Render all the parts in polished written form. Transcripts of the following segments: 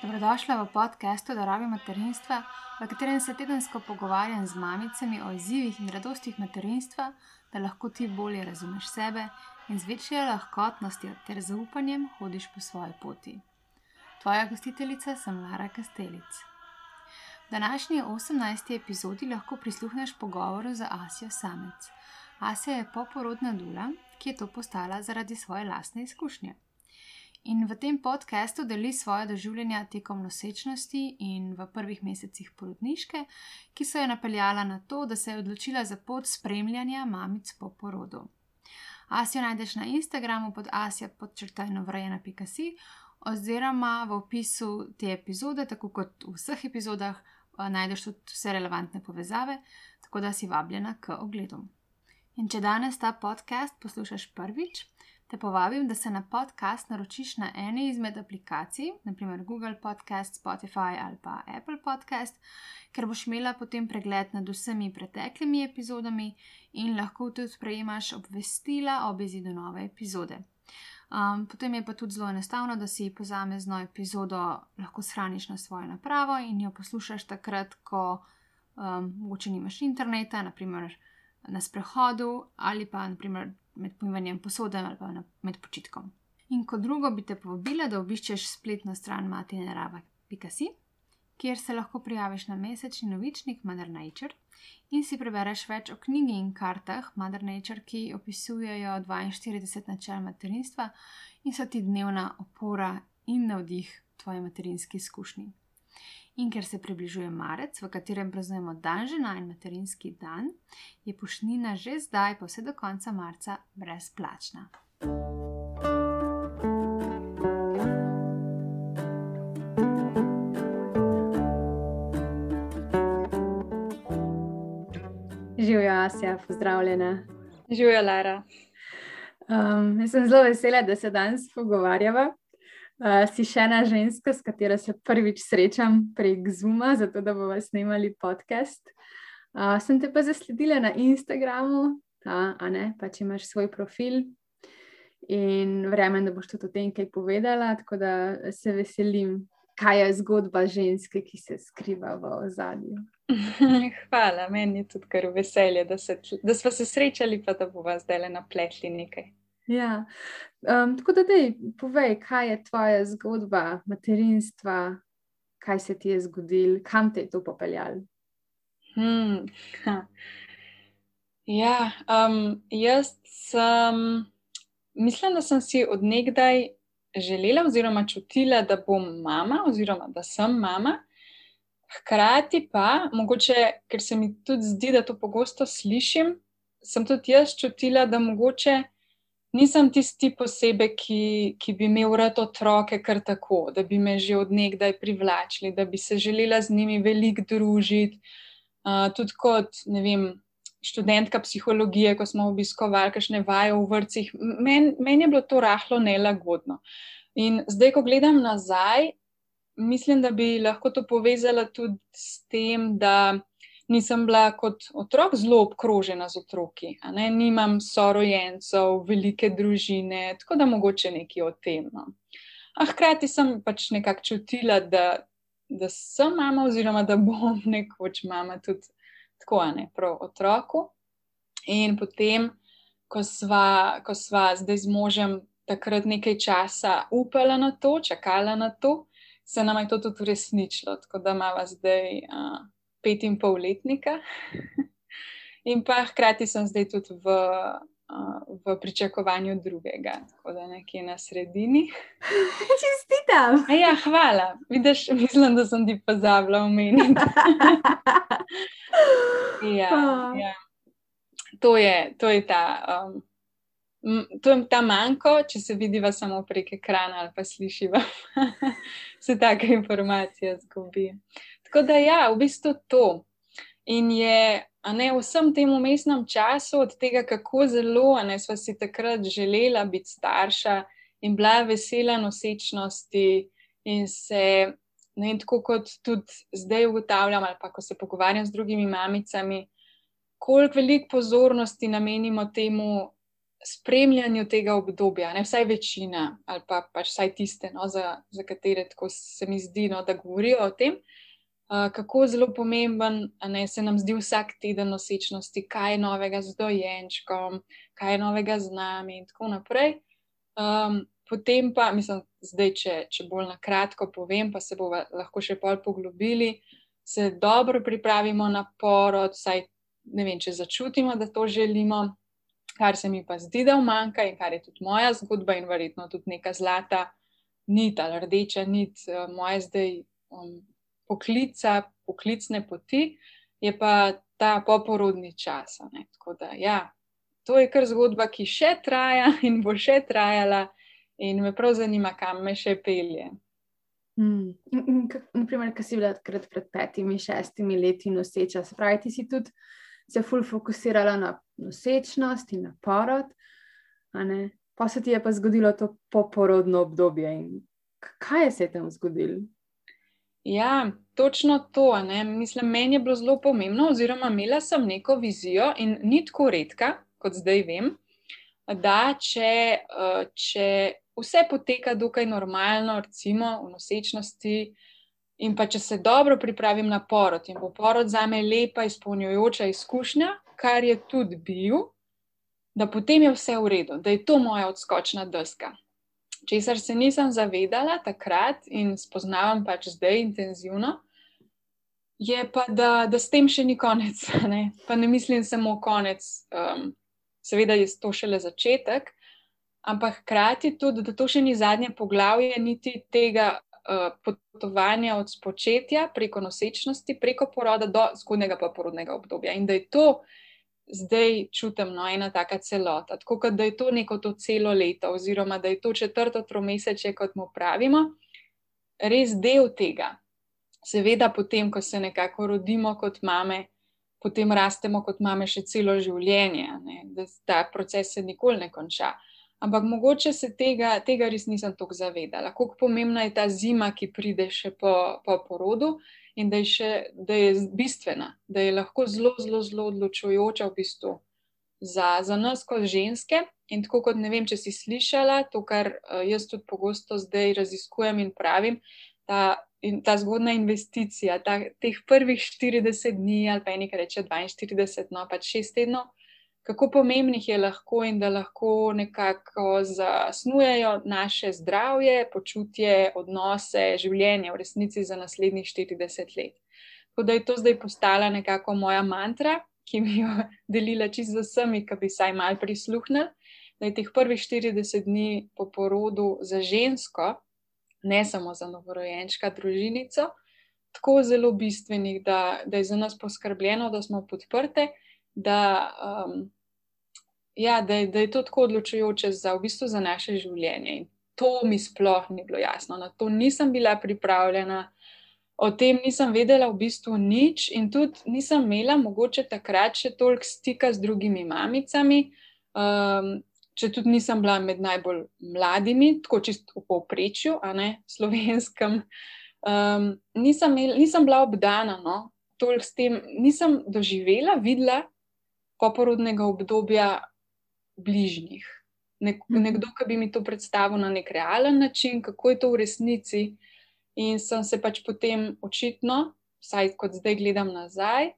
Dobrodošla v podkastu Darovi materinstva, v katerem se tedensko pogovarjam z mamicami o izzivih in radostih materinstva, da lahko ti bolje razumeš sebe in z večjo lahkotnostjo ter zaupanjem hodiš po svoji poti. Tvoja gostiteljica sem Lara Kastelic. V današnji 18. epizodi lahko prisluhneš pogovoru z Asjo Samec. Asja je poporodna dula, ki je to postala zaradi svoje lastne izkušnje. In v tem podkastu deli svoje doživljanja tekom nosečnosti in v prvih mesecih porodniške, ki so jo napeljala na to, da se je odločila za pot spremljanja mamic po porodu. Asjo najdeš na Instagramu pod asja_novrejena.si oziroma v opisu te epizode, tako kot v vseh epizodah, najdeš tudi vse relevantne povezave, tako da si vabljena k ogledu. In če danes ta podcast poslušaš prvič, te povabim, da se na podcast naročiš na eni izmed aplikacij, naprimer Google Podcast, Spotify ali pa Apple Podcast, ker boš imela potem pregled nad vsemi preteklimi epizodami in lahko tudi prejemaš obvestila ob izidu nove epizode. Potem je pa tudi zelo enostavno, da si posamezno epizodo lahko shraniš na svojo napravo in jo poslušaš takrat, ko mogoče nimaš interneta, naprimer na sprehodu ali pa naprimer med pomivanjem posode ali pa med počitkom. In kot drugo bi te povabila, da obiščeš spletno stran matinerava.si, kjer se lahko prijaviš na mesečni novičnik Mother Nature in si prebereš več o knjigi in kartah Mother Nature, ki opisujejo 42 načel materinstva in so ti dnevna opora in navdih tvoje materinski izkušnji. In ker se približuje marec, v katerem praznujemo dan žena in materinski dan, je poštnina že zdaj, pa vse do konca marca, brezplačna. Živjo, Asja, pozdravljena. Živjo, Lara. Jaz sem zelo vesela, da se danes pogovarjava. Si še ena ženska, s katero se prvič srečam prek Zooma, zato da bomo snemali podcast. Sem te pa zasledila na Instagramu, pač imaš svoj profil in verjamem, da boš tudi o tem kaj povedala, tako da se veselim, kaj je zgodba ženske, ki se skriva v ozadju. Hvala, meni je tudi kar veselje, da sva se srečali, pa da bova zdaj napletli nekaj. Ja, tako da dej, povej, kaj je tvoja zgodba materinstva, kaj se ti je zgodilo, kam te je to popeljalo? Jaz mislim, da sem si od nekdaj želela oziroma čutila, da bom mama oziroma da sem mama. Hkrati pa, mogoče, ker se mi tudi zdi, da to pogosto slišim, sem tudi jaz čutila, da mogoče nisem tisti tip osebe, ki bi imel rad otroke kar tako, da bi me že od nekdaj privlačili, da bi se želela z njimi veliko družiti. Tudi kot, ne vem, študentka psihologije, ko smo obiskovali kakšne vaje v vrtcih, meni je bilo to rahlo nelagodno. In zdaj, ko gledam nazaj, mislim, da bi lahko to povezala tudi s tem, da nisem bila kot otrok zelo obkrožena z otroki. Nimam sorojencev, velike družine, tako da mogoče nekaj o tem. Hkrati sem pač nekako čutila, da sem mama oziroma da bom nekoč mama tudi tako, prav otroku. In potem, ko sva zdaj z možem takrat nekaj časa upala na to, čakala na to, se nam je to tudi uresničilo, tako da imava zdaj 5,5-letnika. In pa hkrati sem zdaj tudi v pričakovanju drugega, tako da nekje na sredini. Čestitam! Ja, hvala. Vidiš, mislim, da sem ti pozabila omeniti. Ja. To je ta manko, če se vidiva samo prek ekrana ali pa slišiva, se taka informacija zgubi. Tako da ja, v bistvu to. In je v vsem tem vmesnem času, od tega, kako zelo sva si takrat želela biti starša in bila vesela nosečnosti in se, tako kot tudi zdaj ugotavljam ali pa ko se pogovarjam z drugimi mamicami, koliko veliko pozornosti namenimo temu spremljanju tega obdobja, ne, vsaj večina, ali pa pač vsaj tiste, no, za katere tako se mi zdi, no, da govorijo o tem, kako zelo pomemben, ne, se nam zdi vsak teden nosečnosti, kaj je novega z dojenčkom, kaj je novega z nami in tako naprej. Potem pa, mislim, zdaj, če bolj na kratko povem, pa se bomo lahko še pol poglobili, se dobro pripravimo na porod, vsaj, ne vem, če začutimo, da to želimo, kar se mi pa zdi, da umanjka in kar je tudi moja zgodba in verjetno tudi neka zlata nit ali rdeča nit moje zdaj poklicne poti, je pa ta poporodni čas. Ne? Tako da, ja, to je kar zgodba, ki še traja in bo še trajala in me prav zanima, kam me še pelje. Naprimer, ko si bila takrat pred 5-6 leti noseča, se pravi, ti si tudi se ful fokusirala na nosečnost in na porod, a ne? Pa se ti je pa zgodilo to poporodno obdobje in kaj se je tam zgodilo? Ja, točno to, ne? Mislim, meni je bilo zelo pomembno, oziroma imela sem neko vizijo in ni tako redka, kot zdaj vem, da če vse poteka dokaj normalno, recimo v nosečnosti, in pa če se dobro pripravim na porod in bo porod zame lepa, izpolnjujoča izkušnja, kar je tudi bil, da potem je vse v redu, da je to moja odskočna deska. Česar se nisem zavedala takrat in spoznavam pač zdaj intenzivno, je pa, da s tem še ni konec. Ne? Pa ne mislim samo konec, seveda je to šele začetek, ampak hkrati tudi, da to še ni zadnje poglavje niti tega potovanja od spočetja preko nosečnosti, preko poroda do zgodnjega poporodnega obdobja. In da je to zdaj čutim, no, ena taka celota, tako kot da je to neko to celo leto, oziroma da je to 4. tromesečje, kot mu pravimo, res del tega. Seveda potem, ko se nekako rodimo kot mame, potem rastemo kot mame še celo življenje, ne? Da ta proces se nikoli ne konča. Ampak mogoče se tega res nisem toliko zavedala. Koliko pomembna je ta zima, ki pride še po porodu in da je bistvena, da je lahko zelo, zelo, zelo odločujoča v bistvu za nas kot ženske. In tako kot, ne vem, če si slišala, to, kar jaz tudi pogosto zdaj raziskujem in pravim, ta zgodna investicija, teh prvih 40 dni ali pa nekaj reče 42, no pač 6 tednov, kako pomembnih je lahko in da lahko nekako zasnujejo naše zdravje, počutje, odnose, življenje v resnici za naslednjih 40 let. Tako da je to zdaj postala nekako moja mantra, ki mi jo delila čisto z vsemi, ki bi saj malo prisluhnili, da je teh prvih 40 dni po porodu za žensko, ne samo za novorojenčka, družinico, tako zelo bistvenih, da je za nas poskrbljeno, da smo podprte, da je to tako odločujoče v bistvu za naše življenje. In to mi sploh ni bilo jasno, na to nisem bila pripravljena, o tem nisem vedela v bistvu nič in tudi nisem imela mogoče takrat še toliko stika z drugimi mamicami, če tudi nisem bila med najbolj mladimi, tako čisto v povprečju, a ne, slovenskem. Nisem bila obdana, no, toliko s tem, nisem doživela, videla poporodnega obdobja bližnjih. Nekdo, ki bi mi to predstavil na nek realen način, kako je to v resnici. In sem se pač potem očitno, vsaj kot zdaj gledam nazaj,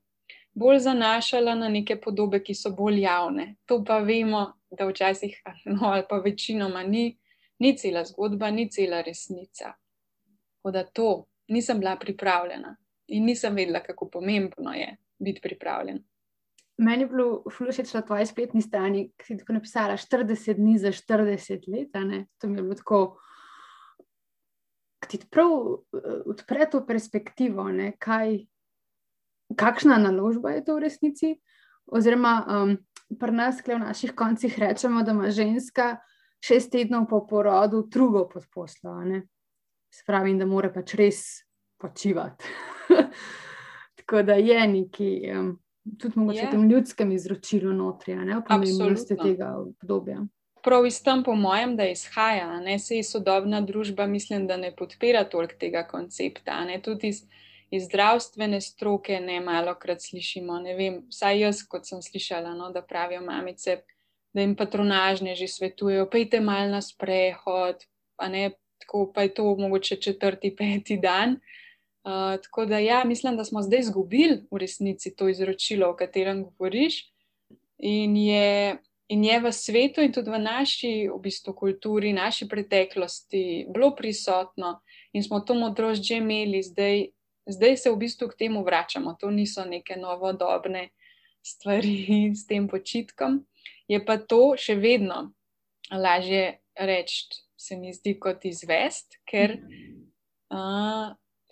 bolj zanašala na neke podobe, ki so bolj javne. To pa vemo, da včasih, no, ali pa večinoma ni cela zgodba, ni cela resnica. Tako da to, nisem bila pripravljena in nisem vedela, kako pomembno je biti pripravljen. Meni je bilo ful všeč na tvoji spletni strani, ki si tako napisala 40 dni za 40 let, ne? To mi je bilo tako, ki ti prav odpre to perspektivo, ne? Kakšna naložba je to v resnici, oziroma pri nas, v naših koncih rečemo, da ima ženska 6 tednov po porodu trugo pod poslo, ne? Se pravi, da mora pač res počivati. Tako da je neki tudi mogoče tem ljudskem izročilu notri, ne, o pomembnosti tega obdobja. Prav iz tam po mojem, da izhaja, ne, saj sodobna družba mislim, da ne podpira toliko tega koncepta, ne, tudi iz zdravstvene stroke ne malokrat slišimo, ne vem, vsaj jaz, kot sem slišala, no, da pravijo mamice, da jim patronažneži svetujejo, pejte mal na sprehod, pa ne, tako pa je to mogoče 4., 5. dan. Tako da ja, mislim, da smo zdaj izgubili v resnici to izročilo, o katerem govoriš, in je v svetu in tudi v naši v bistvu kulturi, naši preteklosti bilo prisotno in smo to modrost že imeli, zdaj se v bistvu k temu vračamo. To niso neke novodobne stvari s tem počitkom. Je pa to še vedno lažje reči, se mi zdi, kot izvest, ker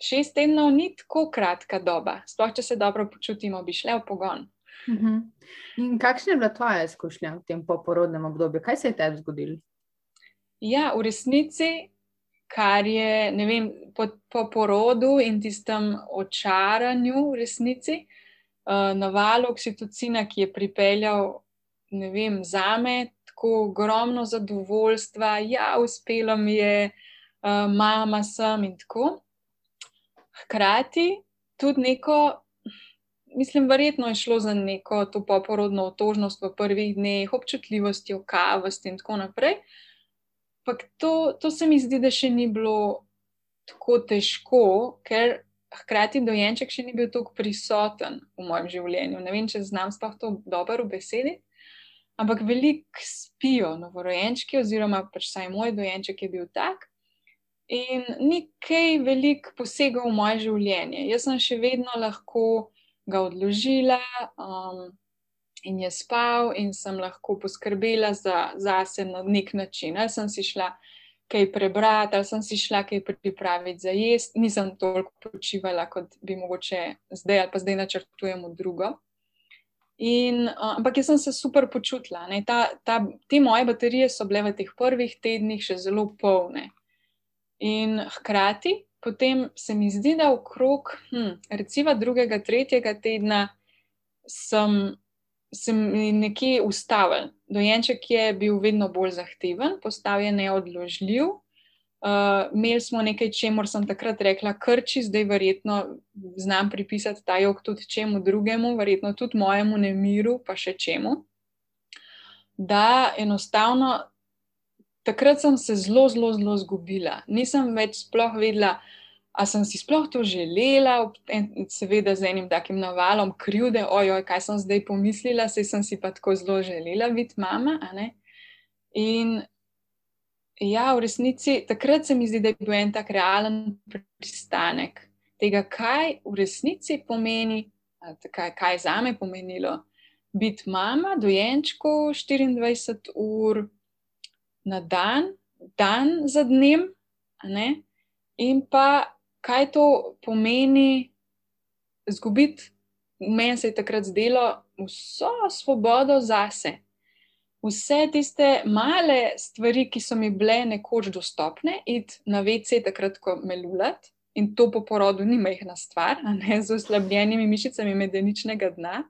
6 tednov ni tako kratka doba. Sploh, če se dobro počutimo, bi šle v pogon. In kakšna je bila tvoja izkušnja v tem poporodnem obdobju? Kaj se je tebi zgodilo? Ja, v resnici, kar je, ne vem, po porodu in tistem očaranju v resnici, naval oksitocina, ki je pripeljal, ne vem, zame tako ogromno zadovoljstva, ja, uspelo mi je, mama sem in tako. Hkrati tudi neko, mislim, verjetno je šlo za neko to poporodno otožnost v prvih dneh, občutljivost, jokavost in tako naprej. Ampak to se mi zdi, da še ni bilo tako težko, ker hkrati dojenček še ni bil tako prisoten v mojem življenju. Ne vem, če znam sploh to dobro besediti, ampak veliko spijo novorojenčki, oziroma pač saj moj dojenček je bil tak. In ni kaj veliko posegel v moje življenje. Jaz sem še vedno lahko ga odložila in je spal in sem lahko poskrbela zase na nek način. Ali sem si šla kaj prebrati, ali sem si šla kaj pripraviti za jesti. Nisem toliko počivala, kot bi mogoče zdaj, ali pa zdaj načrtujem v drugo. Ampak jaz sem se super počutila. Te moje baterije so bile v teh prvih tednih še zelo polne. In hkrati potem se mi zdi, da okrog recimo 2., 3. tedna sem nekje ustavil. Dojenček je bil vedno bolj zahteven, postal je neodložljiv. Imeli smo nekaj, čemur sem takrat rekla krči, zdaj verjetno znam pripisati ta jok tudi čemu drugemu, verjetno tudi mojemu nemiru, pa še čemu. Da enostavno takrat sem se zelo zgubila. Nisem več sploh vedela, a sem si sploh to želela, seveda z enim takim navalom krivde, ojoj, kaj sem zdaj pomislila, saj sem si pa tako zelo želela biti mama, a ne? In ja, v resnici, takrat se mi zdi, da je bil en tak realen pristanek tega, kaj v resnici pomeni, kaj zame pomenilo biti mama, dojenčku 24 ur na dan za dnem, a ne? In pa kaj to pomeni izgubiti, meni se je takrat zdelo, vso svobodo zase. Vse tiste male stvari, ki so mi bile nekoč dostopne, iti na WC takrat, ko me lulat, in to po porodu ni majhna stvar, a ne, z oslabljenimi mišicami medeničnega dna.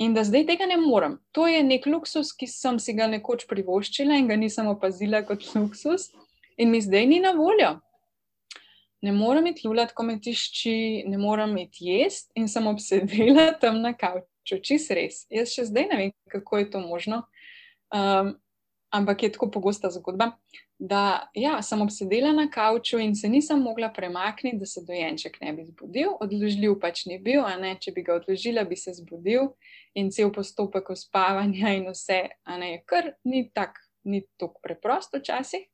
In da zdaj tega ne morem. To je nek luksus, ki sem si ga nekoč privoščila in ga nisem opazila kot luksus in mi zdaj ni na voljo. Ne morem iti lulat, ko me tišči, ne morem iti jest in sem obsedela tam na kavču. Čist res. Jaz še zdaj ne vem, kako je to možno, ampak je tako pogosta zgodba, da ja, sem obsedela na kavču in se nisem mogla premakniti, da se dojenček ne bi zbudil. Odložljiv pač ni bil, a ne, če bi ga odložila, bi se zbudil in cel postopek uspavanja in vse, a ne, kar ni tako preprosto včasih.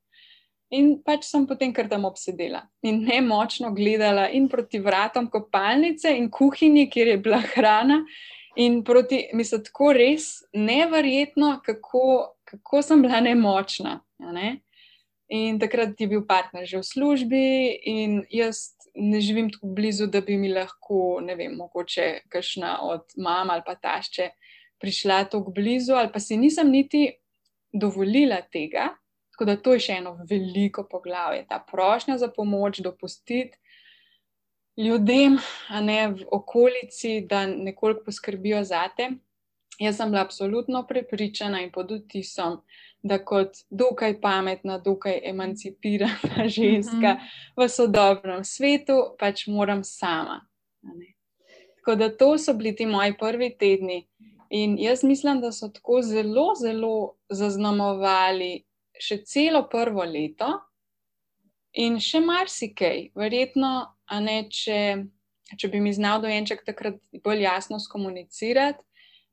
In pač sem potem kar tam obsedela in nemočno gledala in proti vratom kopalnice in kuhinji, kjer je bila hrana, in proti, mislim, tako res neverjetno, kako sem bila nemočna, a ne. In takrat je bil partner že v službi in jaz ne živim tako blizu, da bi mi lahko, ne vem, mogoče kakšna od mam ali pa tašče prišla tako blizu, ali pa si nisem niti dovolila tega. Tako da to je še eno veliko poglavje, ta prošnja za pomoč, dopustiti ljudem, a ne, v okolici, da nekoliko poskrbijo zate. Jaz sem bila absolutno prepričana in pod vtisom, da kot dokaj pametna, dokaj emancipirana ženska v sodobnem svetu pač moram sama. A ne. Tako da to so bili ti moji prvi tedni In jaz mislim, da so tako zelo, zelo zaznamovali še celo prvo leto in še marsikaj. Verjetno, a ne, če bi mi znal dojenček takrat bolj jasno skomunicirati,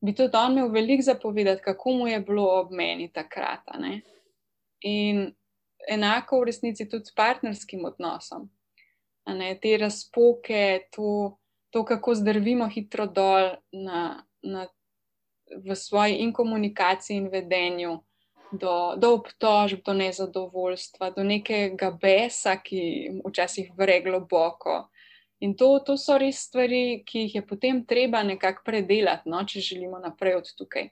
bi tudi on imel veliko zapovedati, kako mu je bilo ob meni takrat, a ne. In enako v resnici tudi s partnerskim odnosom. A ne, te razpoke, to kako zdrvimo hitro dol v svoji in komunikaciji in vedenju, do obtožb, do nezadovoljstva, do nekega besa, ki včasih vre globoko. In to so res stvari, ki jih je potem treba nekako predelati, no, če želimo naprej od tukaj.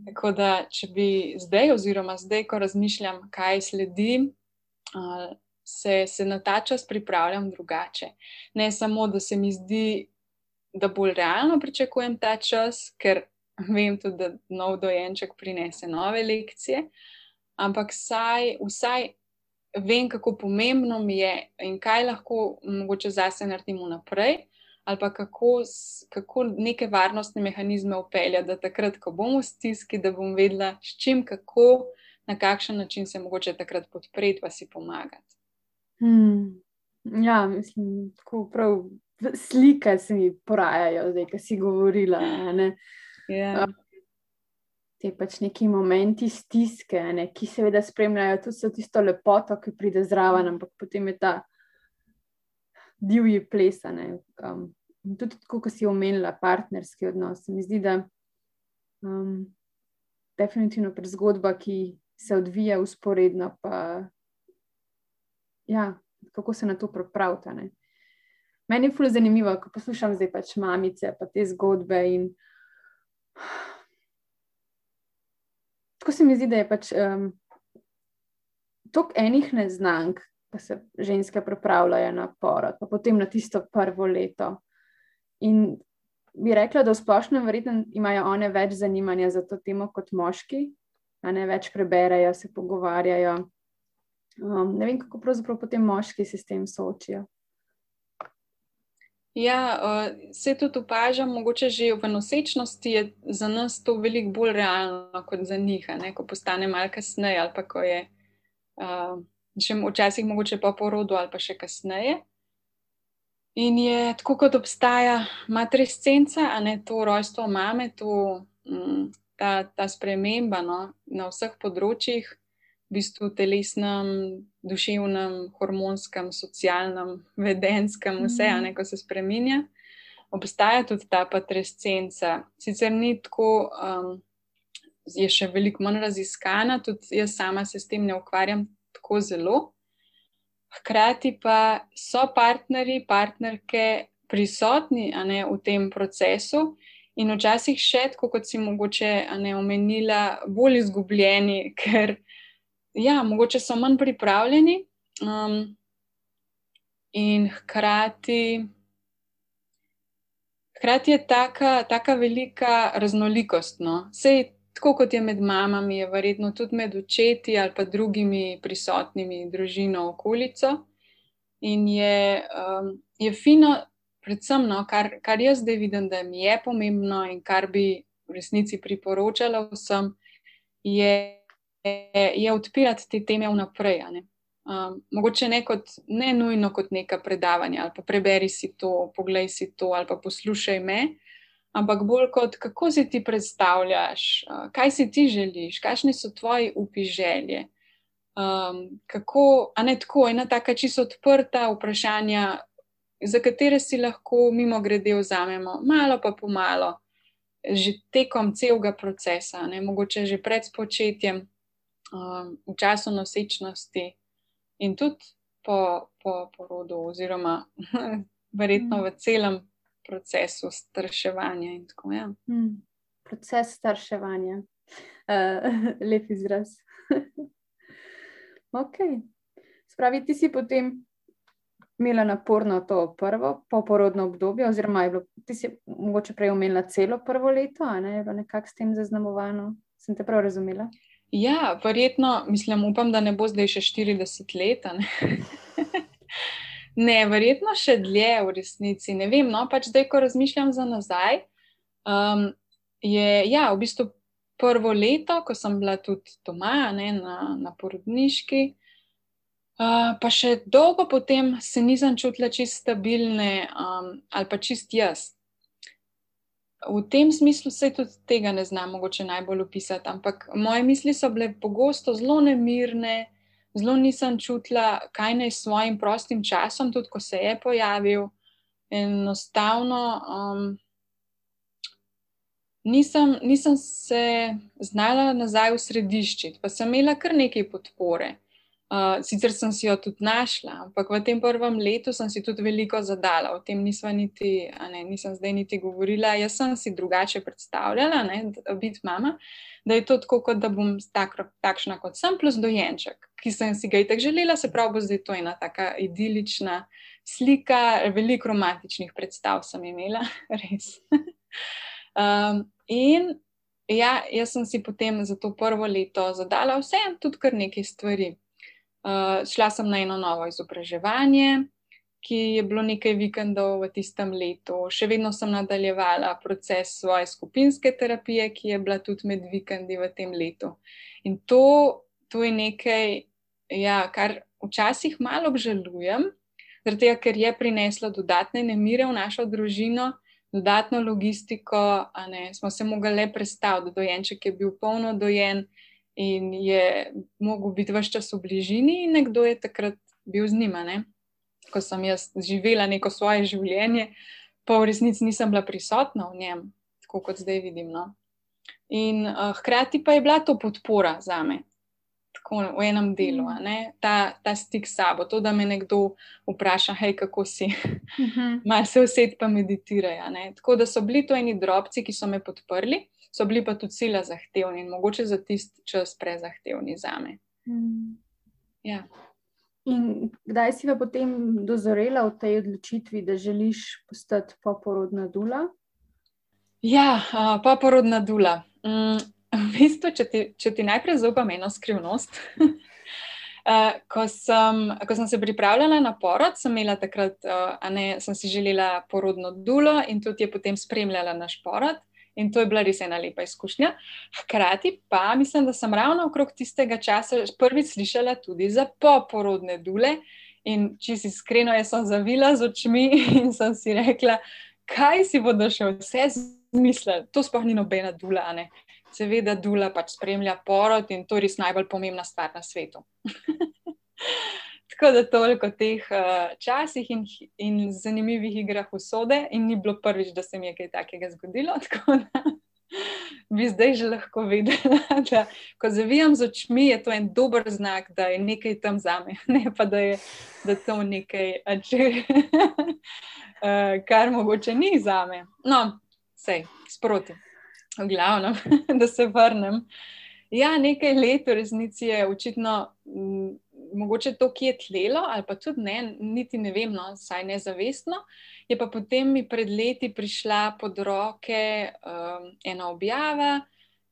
Tako da, če bi zdaj, ko razmišljam, kaj sledi, se na ta čas pripravljam drugače. Ne samo, da se mi zdi, da bolj realno pričakujem ta čas, ker vem tudi, da nov dojenček prinese nove lekcije, ampak vsaj vem, kako pomembno mi je in kaj lahko mogoče zase naredim vnaprej, ali pa kako neke varnostne mehanizme vpeljati, da takrat, ko bom v stiski, da bom vedela, s čim, kako, na kakšen način se mogoče takrat podpreti pa si pomagati. Ja, mislim, tako prav slike se mi porajajo zdaj, ko si govorila, ne. Ja. Te pač neki momenti stiske, ne, ki seveda spremljajo tudi tisto lepoto, ki pride zraven, ampak potem je ta divji ples, ne. Tudi tako, ko si omenila partnerski odnos, se mi zdi, da definitivno zgodba, ki se odvija vzporedno, pa ja, kako se na to pripraviti, ne. Meni je ful zanimivo, ko poslušam zdaj pač mamice, pa te zgodbe in tako se mi zdi, da je pač toliko enih neznank, pa se ženske pripravljajo na porod, pa potem na tisto prvo leto. In bi rekla, da v splošnem verjetno imajo one več zanimanja za to temo kot moški, a ne, več preberejo, se pogovarjajo. Ne vem, kako pravzaprav potem moški se s tem soočijo. Ja, se tudi opažam, mogoče že v nosečnosti je za nas to veliko bolj realno kot za njih, ne, ko postane malo kasneje ali pa ko je še včasih mogoče po porodu ali pa še kasneje. In je tako, kot obstaja matrescenca, a ne, to rojstvo mame, ta sprememba, no, na vseh področjih, v bistvu telesnem, duševnem, hormonskem, socialnem, vedenskem, vse, a ne, ko se spreminja. Obstaja tudi ta matrescenca. Sicer ni tako, je še veliko manj raziskana, tudi jaz sama se s tem ne ukvarjam tako zelo. Hkrati pa so partnerji, partnerke prisotni, a ne, v tem procesu in včasih še, tako kot si mogoče, a ne, omenila, bolj izgubljeni, ker ja, mogoče so manj pripravljeni in hkrati je taka velika raznolikost, no. Sej tako kot je med mamami, je verjetno tudi med očeti ali pa drugimi prisotnimi družino, okolico. In je fino, predvsem, no, kar jaz zdaj vidim, da mi je pomembno in kar bi v resnici priporočala vsem, je odpirati te teme vnaprej, a ne. Mogoče ne nujno kot neka predavanja ali pa preberi si to, poglej si to ali pa poslušaj me, ampak bolj kot kako si ti predstavljaš, kaj si ti želiš, kakšni so tvoji upi, želje. Kako, a ne, tako, ena taka čisto odprta vprašanja, za katere si lahko mimogrede vzamemo malo pa pomalo, že tekom celega procesa, ne, mogoče že pred spočetjem, v času nosečnosti in tudi po porodu oziroma verjetno v celem procesu starševanja in tako, ja. Proces starševanja. Lep izraz. Ok. Spravi, ti si potem imela naporno to prvo poporodno obdobje, oziroma ti si mogoče prej omenila celo prvo leto, a ne, je bilo nekako s tem zaznamovano? Sem te prav razumela? Ja, verjetno, mislim, upam, da ne bo zdaj še 40 let, a ne. Ne, verjetno še dlje v resnici, ne vem, no, pač zdaj, ko razmišljam za nazaj, je v bistvu prvo leto, ko sem bila tudi doma, na porodniški, pa še dolgo potem se nisem čutila čist stabilne ali pa čist jaz. V tem smislu se tudi tega ne znam mogoče najbolj opisati, ampak moje misli so bile pogosto zelo nemirne, zelo nisem čutila, kaj naj s svojim prostim časom, tudi ko se je pojavil. Enostavno nisem se znala nazaj osrediščiti, pa sem imela kar nekaj podpore. Sicer sem si jo tudi našla, ampak v tem prvem letu sem si tudi veliko zadala. O tem nisem zdaj niti govorila. Jaz sem si drugače predstavljala, biti mama, da je to tako, kot da bom takšna, kot sem, plus dojenček, ki sem si ga itak želela, se pravi, bo zdaj to ena taka idilična slika, veliko romantičnih predstav sem imela, res. Jaz sem si potem za to prvo leto zadala vseeno tudi kar nekaj stvari. Šla sem na eno novo izobraževanje, ki je bilo nekaj vikendov v tistem letu. Še vedno sem nadaljevala proces svoje skupinske terapije, ki je bila tudi med vikendi v tem letu. In to je nekaj, kar včasih malo obžalujem, zaradi tega, ker je prineslo dodatne nemire v našo družino, dodatno logistiko, smo se mogli le prestaviti, dojenček je bil polno dojen in je mogel biti ves čas v bližini in nekdo je takrat bil z njima, Ko sem jaz živela neko svoje življenje, pa v resnici nisem bila prisotna v njem, tako kot zdaj vidim, In hkrati pa je bila to podpora zame, tako v enem delu, ta stik s sabo, to, da me nekdo vpraša, hej, kako si, malo se used pa meditiraj, Tako da so bili to eni drobci, ki so me podprli, so bili pa tudi sila zahtevni in mogoče za tisti čas prezahtevni zame. Ja. In kdaj si pa potem dozorela v tej odločitvi, da želiš postati poporodna dula? Ja, poporodna dula. V bistvu, če ti najprej zaupam eno skrivnost, ko sem se pripravljala na porod, sem imela takrat, sem si želela porodno dulo in tudi je potem spremljala naš porod. In to je bila res ena lepa izkušnja. Hkrati pa mislim, da sem ravno okrog tistega časa prvič slišala tudi za poporodne dule. In čisto iskreno, jaz sem zavila z očmi in sem si rekla, kaj si bodo še vse zmislili. To sploh ni nobena dula, Seveda dula pač spremlja porod in to je res najbolj pomembna stvar na svetu. Tako da toliko o teh časih in zanimivih igrah usode in ni bilo prvič, da se mi je kaj takega zgodilo, tako da bi zdaj že lahko vedela, da ko zavijam z očmi, je to en dober znak, da je nekaj tam zame, ne pa da je to nekaj, kar mogoče ni zame. No, sej, sproti. V glavnem, da se vrnem. Ja, nekaj let v resnici je očitno mogoče to, ki je tlelo, ali pa tudi ne, niti ne vem, saj nezavestno, je pa potem mi pred leti prišla pod roke ena objava,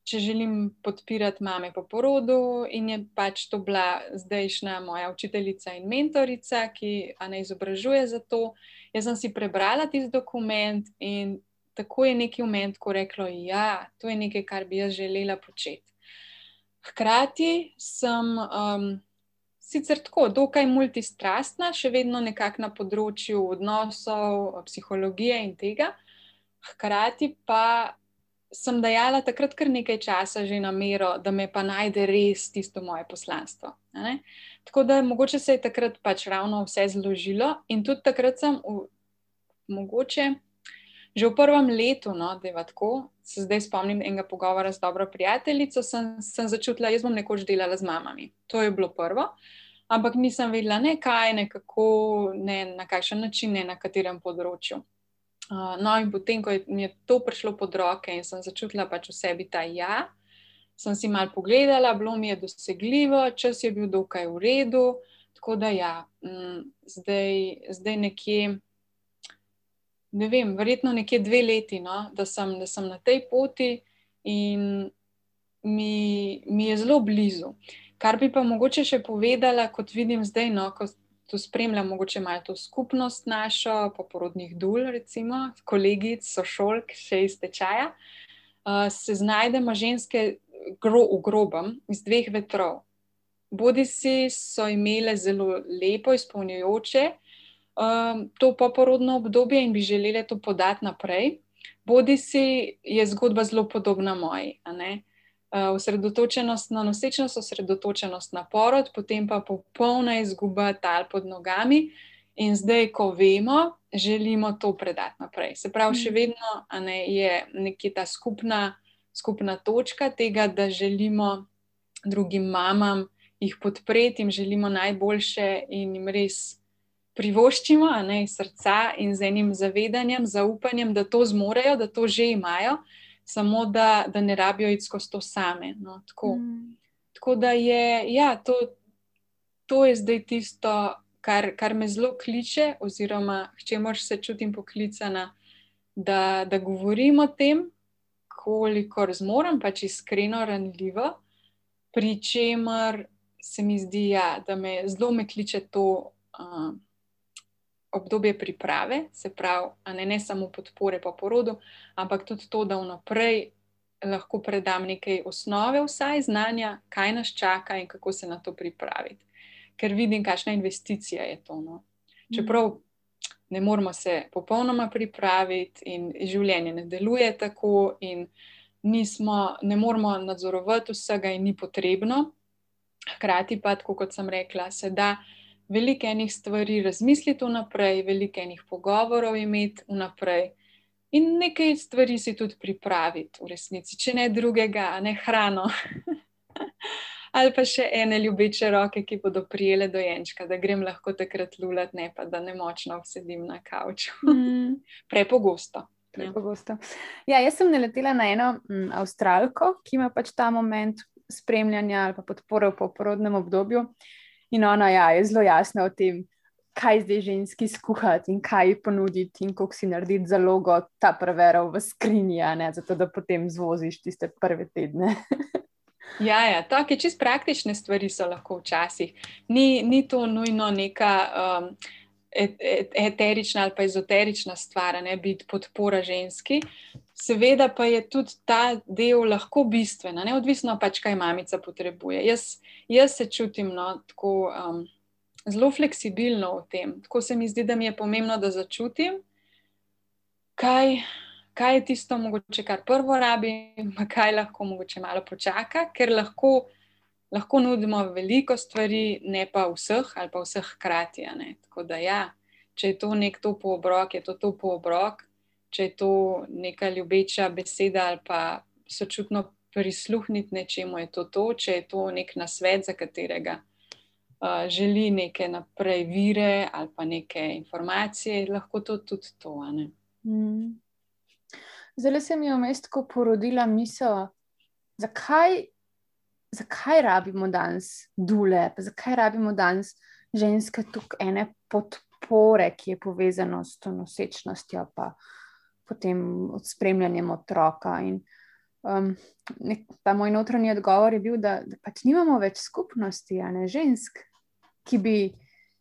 če želim podpirati mame po porodu in je pač to bila zdajšnja moja učiteljica in mentorica, ki izobražuje za to. Jaz sem si prebrala tisti dokument in tako je neki v meni tako reklo, ja, to je nekaj, kar bi jaz želela početi. Hkrati sem sicer tako dokaj multistrastna, še vedno nekako na področju odnosov, psihologije in tega. Hkrati pa sem dajala takrat kar nekaj časa že namero, da me pa najde res tisto moje poslanstvo. Tako da mogoče se je takrat pač ravno vse zložilo in tudi takrat sem mogoče že v prvem letu, dajva tako, se zdaj spomnim enega pogovora z dobro prijateljico, sem začutila, jaz bom nekoč delala z mamami. To je bilo prvo, ampak nisem vedela ne kaj, ne kako, ne na kakšen način, ne na katerem področju. In potem, ko mi je to prišlo pod roke in sem začutila pač v sebi ta sem si malo pogledala, bilo mi je dosegljivo, čas je bil dokaj v redu, tako da zdaj nekje, ne vem, verjetno nekje 2 leti, da sem na tej poti in mi je zelo blizu. Kar bi pa mogoče še povedala, kot vidim zdaj, ko to spremljam, mogoče malo to skupnost našo, poporodnih dul, recimo, kolegic, sošolk, še iz tečaja. se znajdemo ženske v grobem iz dveh vetrov. Bodisi so imele zelo lepo, izpolnjujoče to poporodno obdobje in bi želele to podati naprej, bodisi je zgodba zelo podobna moji, a ne? Osredotočenost na nosečnost, osredotočenost na porod, potem pa popolna izguba tal pod nogami in zdaj, ko vemo, želimo to predati naprej. Se pravi, še vedno, a ne, je nekje ta skupna točka tega, da želimo drugim mamam jih podpreti, jim želimo najboljše in jim res privoščimo, a ne, iz srca in z enim zavedanjem, zaupanjem, da to zmorejo, da to že imajo, samo da ne rabijo iti skozi to same. No, tako da je, ja, to je zdaj tisto, kar me zelo kliče, oziroma k čemur se čutim poklicana, da govorim o tem, kolikor zmorem, pač iskreno, ranljivo, pri čemer se mi zdi, ja, da zelo me kliče to obdobje priprave, se pravi, a ne samo podpore po porodu, ampak tudi to, da vnaprej lahko predam nekaj osnove, vsaj znanja, kaj nas čaka in kako se na to pripraviti. Ker vidim, kakšna investicija je to. No. Čeprav ne moramo se popolnoma pripraviti in življenje ne deluje tako in ne moramo nadzorovati vsega in ni potrebno. Hkrati pa, tako kot sem rekla, se da veliko enih stvari razmisliti vnaprej, veliko enih pogovorov imeti vnaprej in nekaj stvari si tudi pripraviti v resnici, če ne drugega, a ne hrano. Ali pa še ene ljubeče roke, ki bodo prijele dojenčka, da grem lahko takrat lulat, ne pa da nemočno sedim na kavču. Prepogosto. Ja, jaz sem naletela na eno Avstralko, ki ima pač ta moment spremljanja ali pa podpore v poporodnem obdobju. In ona je zelo jasna o tem, kaj zdaj ženski skuhati in kaj ponuditi in koliko si narediti zalogo ta preverov v skrinji, zato da potem zvoziš tiste prve tedne. Ja, take čisto praktične stvari so lahko včasih. Ni to nujno neka eterična ali pa ezoterična stvar, ne biti podpora ženski. Seveda pa je tudi ta del lahko bistven, neodvisno pač, kaj mamica potrebuje. Jaz se čutim tako zelo fleksibilno v tem. Tako se mi zdi, da mi je pomembno, da začutim, kaj je tisto mogoče, kar prvo rabi, pa kaj lahko mogoče malo počaka, ker lahko nudimo veliko stvari, ne pa vseh ali pa vseh hkrati. Tako da ja, če je to nek topel obrok, je to topel obrok. Če je to neka ljubeča beseda ali pa sočutno prisluhniti nečemu, je to. Če je to nek nasvet, za katerega želi neke naprej vire ali pa neke informacije, lahko to tudi to. Zdaj se mi je vmes tako porodila misel, zakaj rabimo danes dule, pa zakaj rabimo danes ženske tukaj ene podpore, ki je povezano s to nosečnostjo, pa potem od spremljanjem otroka. In ta moj notranji odgovor je bil, da pač nimamo več skupnosti, žensk,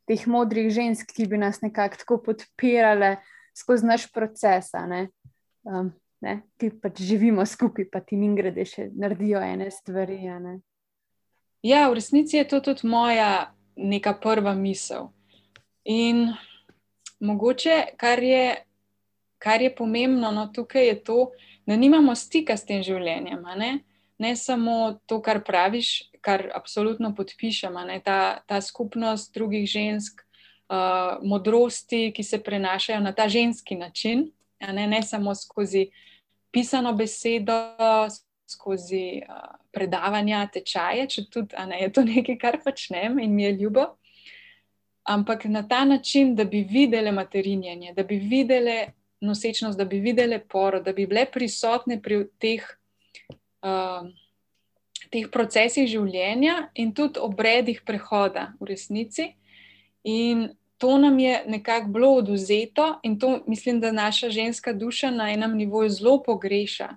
teh modrih žensk, ki bi nas nekako tako podpirale skozi naš proces, ki pač živimo skupaj, pa ti mingrede še naredijo ene stvari. Ja, v resnici je to tudi moja neka prva misel. In mogoče, kar je pomembno, tukaj je to, da nimamo stika s tem življenjem. Ne samo to, kar praviš, kar absolutno podpišem, ta skupnost drugih žensk, modrosti, ki se prenašajo na ta ženski način, ne samo skozi pisano besedo, skozi predavanja, tečaje, če tudi je to nekaj, kar počnem in mi je ljubo, ampak na ta način, da bi videle materinjenje, da bi videle nosečnost, da bi videle porod, da bi bile prisotne pri teh procesih življenja in tudi obredih prehoda v resnici. In to nam je nekako bilo odvzeto in to mislim, da naša ženska duša na enem nivoju zelo pogreša.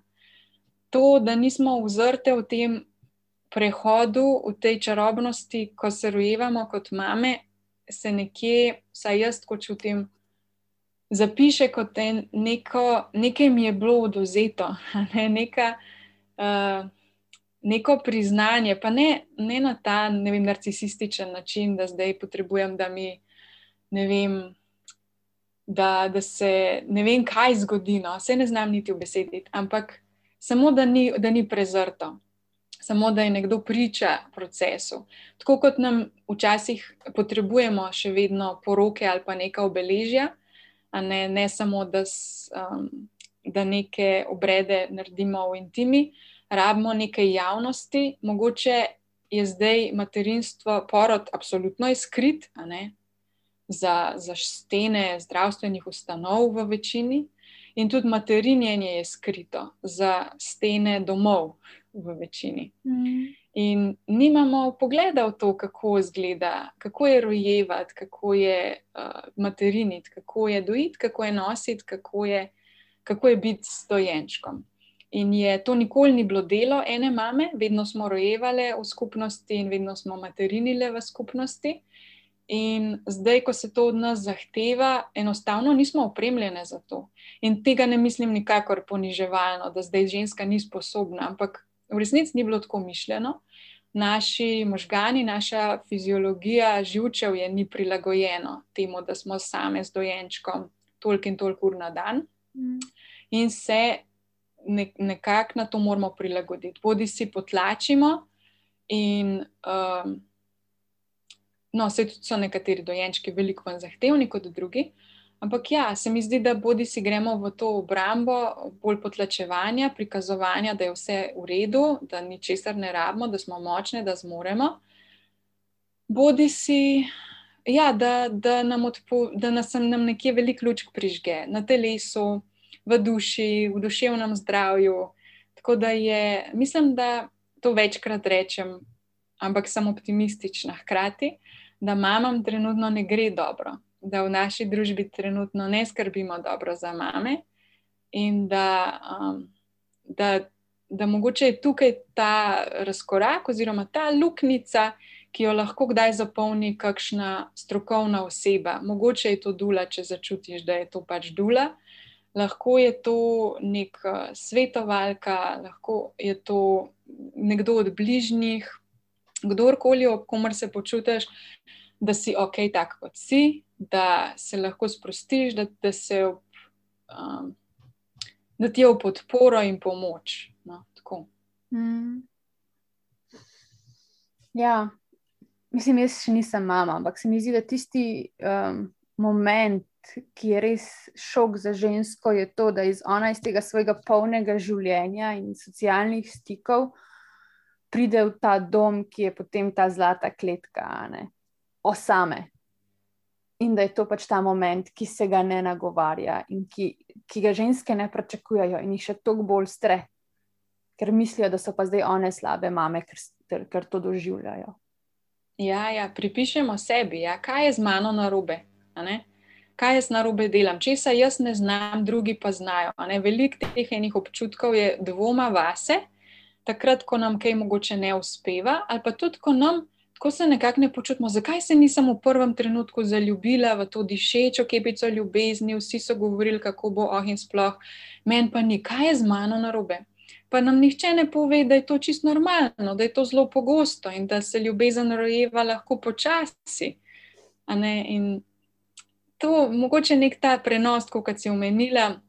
To, da nismo vzrte v tem prehodu, v tej čarobnosti, ko se rojevamo kot mame, se nekje, vsaj jaz, ko čutim, zapiše kot nekaj mi je bilo odvzeto, neko priznanje, pa ne na ta, ne vem, narcisističen način, da zdaj potrebujem, da mi, ne vem, da se ne vem, kaj zgodi, no, saj ne znam niti ubesediti, ampak samo, da ni prezrto, samo, da je nekdo priča procesu. Tako kot nam včasih potrebujemo še vedno poroke ali pa neka obeležja, a ne samo, da neke obrede naredimo v intimi, rabimo neke javnosti, mogoče je zdaj materinstvo, porod absolutno je skrit, a ne, za stene zdravstvenih ustanov v večini, in tudi materinjenje je skrito za stene domov v večini. In nimamo pogleda v to, kako izgleda, kako je rojevati, kako je materiniti, kako je dojiti, kako je nositi, kako je biti s dojenčkom. In to nikoli ni bilo delo ene mame, vedno smo rojevale v skupnosti in vedno smo materinile v skupnosti. In zdaj, ko se to od nas zahteva, enostavno nismo opremljene za to. In tega ne mislim nikakor poniževalno, da zdaj ženska ni sposobna, ampak v resnici ni bilo tako mišljeno. Naši možgani, naša fiziologija, živčevje ni prilagojeno temu, da smo same z dojenčkom toliko in toliko ur na dan. In se nekako na to moramo prilagoditi. Bodi si potlačimo in saj tudi so nekateri dojenčki veliko manj zahtevni kot drugi, ampak ja, se mi zdi, da bodi si gremo v to obrambo bolj potlačevanja, prikazovanja, da je vse v redu, da ničesar ne rabimo, da smo močne, da zmoremo. Bodi si, ja, da nam nekje velik lučk prižge na telesu, v duši, v duševnem zdravju. Tako da mislim, da to večkrat rečem, ampak sem optimistična hkrati, da mamam trenutno ne gre dobro, da v naši družbi trenutno ne skrbimo dobro za mame in da mogoče je tukaj ta razkorak oziroma ta luknjica, ki jo lahko kdaj zapolni kakšna strokovna oseba. Mogoče je to dula, če začutiš, da je to pač dula. Lahko je to neka svetovalka, lahko je to nekdo od bližnjih, kdorkoli, ob komer se počutiš, da si ok, tak kot si, da se lahko sprostiš, da ti je v podporo in pomoč. No, tako. Ja, mislim, jaz še nisem mama, ampak se mi zdi, da tisti moment, ki je res šok za žensko, je to, da ona iz tega svojega polnega življenja in socialnih stikov pride v ta dom, ki je potem ta zlata kletka, osame. In da je to pač ta moment, ki se ga ne nagovarja in ki ga ženske ne pričakujejo in jih še toliko bolj stre, ker mislijo, da so pa zdaj one slabe mame, ker to doživljajo. Ja, pripišemo sebi, kaj je z mano narobe, kaj jaz narobe delam, česa jaz ne znam, drugi pa znajo. Veliko teh enih občutkov je dvoma vase, takrat, ko nam kaj mogoče ne uspeva, ali pa tudi, ko nam tako se nekako ne počutimo, zakaj se nisem v prvem trenutku zaljubila v to dišečo kepico ljubezni, vsi so govorili, kako bo, in sploh, meni pa ni, kaj je z mano narobe. Pa nam nihče ne pove, da je to čisto normalno, da je to zelo pogosto in da se ljubezen rojeva lahko počasi. In to mogoče nek ta prenos, kot si omenila,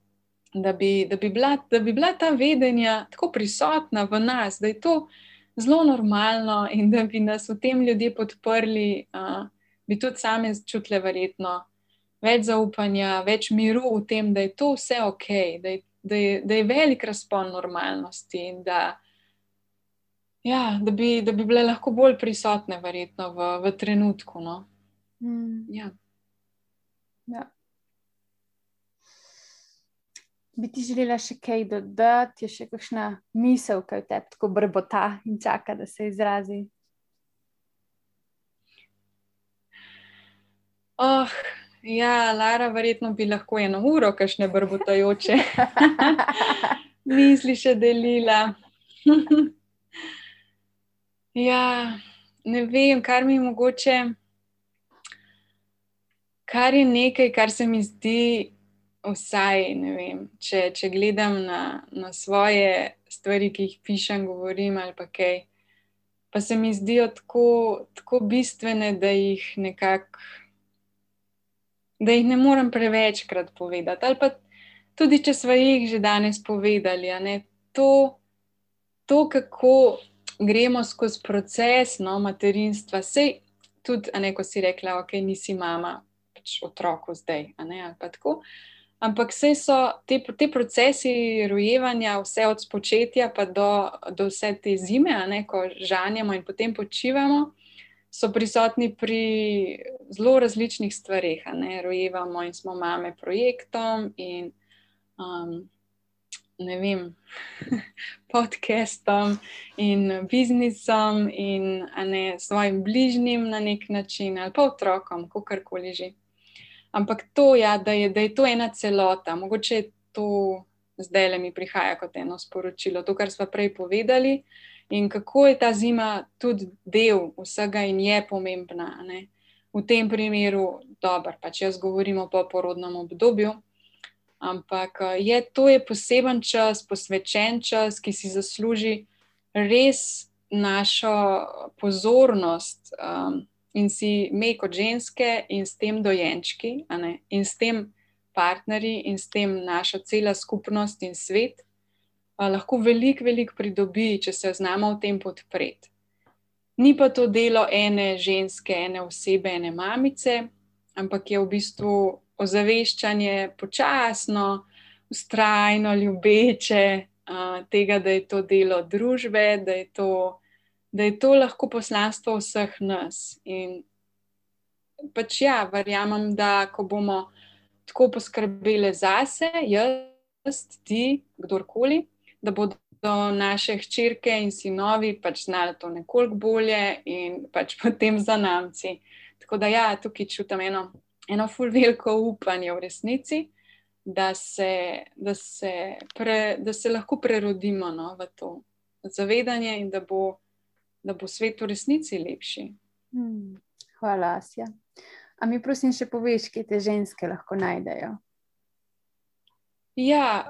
da bi bila ta vedenja tako prisotna v nas, da je to zelo normalno in da bi nas v tem ljudje podprli, bi tudi same čutile verjetno več zaupanja, več miru v tem, da je to vse ok, da je velik razpon normalnosti in da bi bile lahko bolj prisotne verjetno v trenutku. No? Ja. Bi ti želela še kaj dodati, je še kakšna misel, kaj v tebi tako brbota in čaka, da se izrazi? Lara, verjetno bi lahko 1 uro kakšne brbotajoče misli še delila. Ne vem, kar je nekaj, kar se mi zdi vsaj, ne vem, če gledam na svoje stvari, ki jih pišem, govorim ali pa kaj, pa se mi zdijo tako bistvene, da jih ne morem prevečkrat povedati. Ali pa tudi, če smo jih že danes povedali, a ne, to, kako gremo skozi proces, no, materinstva, sej tudi, a ne, ko si rekla, ok, nisi mama, pač otroku zdaj, a ne, ali pa tako. Ampak sej so te procesi rojevanja, vse od spočetja pa do vse te zime, a ne, ko žanjemo in potem počivamo, so prisotni pri zelo različnih stvareh, a ne, rojevamo in smo mame projektom in ne vem, podcastom in biznisom in a ne, svojim bližnjim na nek način ali pa otrokom, kakorkoli že. Ampak to, ja, da je to ena celota, mogoče je to zdajle mi prihaja kot eno sporočilo, to, kar sva prej povedali in kako je ta zima tudi del vsega in je pomembna, a ne. V tem primeru, dobro, pač jaz govorim o poporodnem obdobju, ampak to je poseben čas, posvečen čas, ki si zasluži res našo pozornost in si me kot ženske in s tem dojenčki, a ne, in s tem partnerji in s tem naša cela skupnost in svet lahko veliko pridobi, če se znamo v tem podpreti. Ni pa to delo ene ženske, ene osebe, ene mamice, ampak je v bistvu ozaveščanje počasno, vztrajno, ljubeče, tega, da je to delo družbe, da je to lahko poslanstvo vseh nas. In pač ja, verjamem, da ko bomo tako poskrbele zase, jaz, ti, kdorkoli, da bodo naše hčerke in sinovi pač znali to nekoliko bolje in pač potem zanamci. Tako da ja, tukaj čutim eno ful veliko upanje v resnici, da se lahko prerodimo, no, v to zavedanje in da bo svet v resnici lepši. Hvala, Asja. A mi prosim še poveš, kje te ženske lahko najdejo? Ja,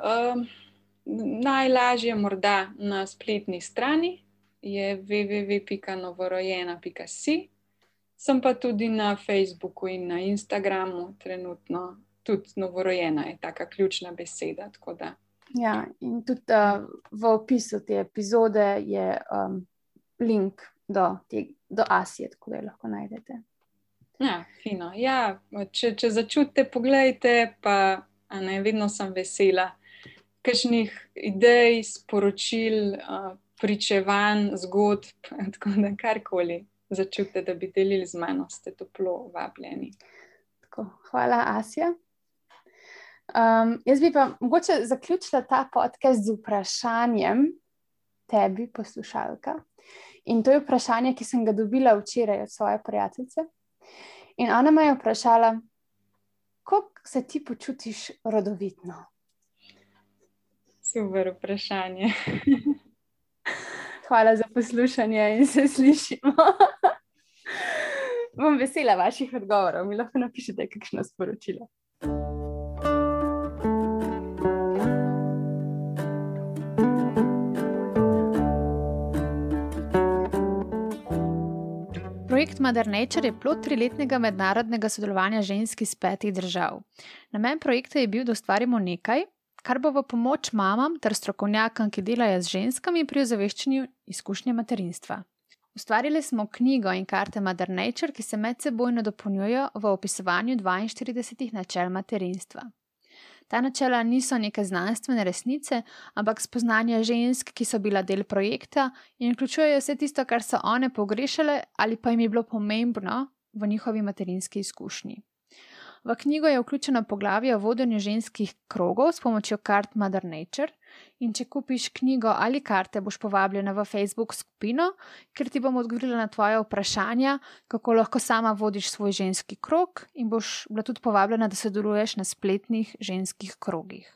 najlažje morda na spletni strani je www.novorojena.si. Sem pa tudi na Facebooku in na Instagramu trenutno, tudi Novorojena je taka ključna beseda, tako da. Ja, in tudi v opisu te epizode je link do Asije, tako da jo lahko najdete. Ja, fino. Ja, če začutite, poglejte, pa ne, vedno sem vesela kakšnih idej, sporočil, pričevanj, zgodb, tako da karkoli začutite, da bi delili z mano, ste toplo vabljeni. Tako, hvala, Asja. Jaz bi pa mogoče zaključila ta podcast z vprašanjem tebi, poslušalka. In to je vprašanje, ki sem ga dobila včeraj od svoje prijateljice. In ona me je vprašala, kako se ti počutiš rodovitno? Super vprašanje. Hvala za poslušanje in se slišimo. Bom vesela vaših odgovorov, mi lahko napišete kakšno sporočilo. Projekt Mother Nature je plod 3-letnega mednarodnega sodelovanja žensk iz 5 držav. Namen projekta je bil, da ustvarimo nekaj, kar bo v pomoč mamam ter strokovnjakom, ki delajo z ženskami pri ozaveščanju izkušnje materinstva. Ustvarili smo knjigo in karte Mother Nature, ki se medsebojno dopolnjujejo v opisovanju 42 načel materinstva. Ta načela niso neke znanstvene resnice, ampak spoznanja žensk, ki so bila del projekta in vključujejo vse tisto, kar so one pogrešale ali pa jim je bilo pomembno v njihovi materinski izkušnji. V knjigo je vključeno poglavje o vodenju ženskih krogov s pomočjo kart Mother Nature in če kupiš knjigo ali karte, boš povabljena v Facebook skupino, kjer ti bom odgovorila na tvoje vprašanja, kako lahko sama vodiš svoj ženski krog in boš bila tudi povabljena, da sodeluješ na spletnih ženskih krogih.